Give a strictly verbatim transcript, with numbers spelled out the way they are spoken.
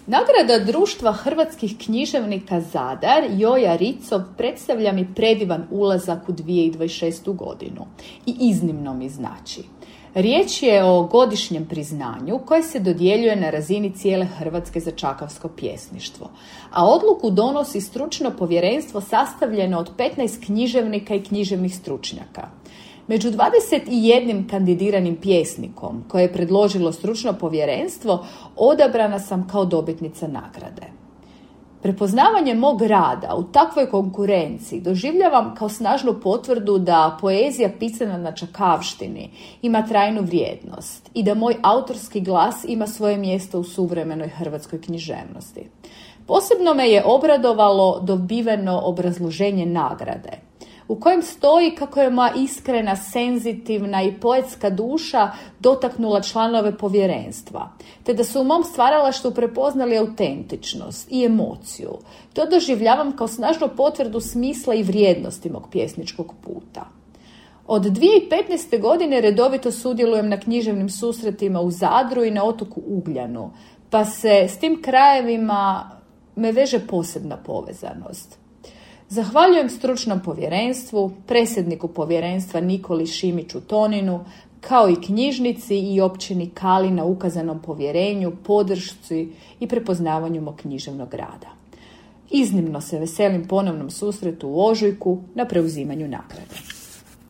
Nagrada Društva hrvatskih književnika Zadar Joja Ricov predstavlja mi predivan ulazak u dvije tisuće dvadeset šestu godinu i iznimno mi znači. Riječ je o godišnjem priznanju koje se dodjeljuje na razini cijele Hrvatske za čakavsko pjesništvo, a odluku donosi stručno povjerenstvo sastavljeno od petnaest književnika i književnih stručnjaka. Među dvadeset jedan kandidiranim pjesnikom koje je predložilo stručno povjerenstvo odabrana sam kao dobitnica nagrade. Prepoznavanje mog rada u takvoj konkurenciji doživljavam kao snažnu potvrdu da poezija pisana na čakavštini ima trajnu vrijednost i da moj autorski glas ima svoje mjesto u suvremenoj hrvatskoj književnosti. Posebno me je obradovalo dobiveno obrazloženje nagrade, u kojem stoji kako je moja iskrena, senzitivna i poetska duša dotaknula članove povjerenstva, te da su u mom stvaralaštvu prepoznali autentičnost i emociju. To doživljavam kao snažnu potvrdu smisla i vrijednosti mog pjesničkog puta. Od dvije tisuće petnaeste. godine redovito sudjelujem na književnim susretima u Zadru i na otoku Ugljanu, pa se s tim krajevima me veže posebna povezanost. Zahvaljujem stručnom povjerenstvu, predsjedniku povjerenstva Nikoli Šimiću Toninu, kao i knjižnici i općini Kali na ukazanom povjerenju, podršci i prepoznavanju mog književnog rada. Iznimno se veselim ponovnom susretu u ožujku na preuzimanju nagrade.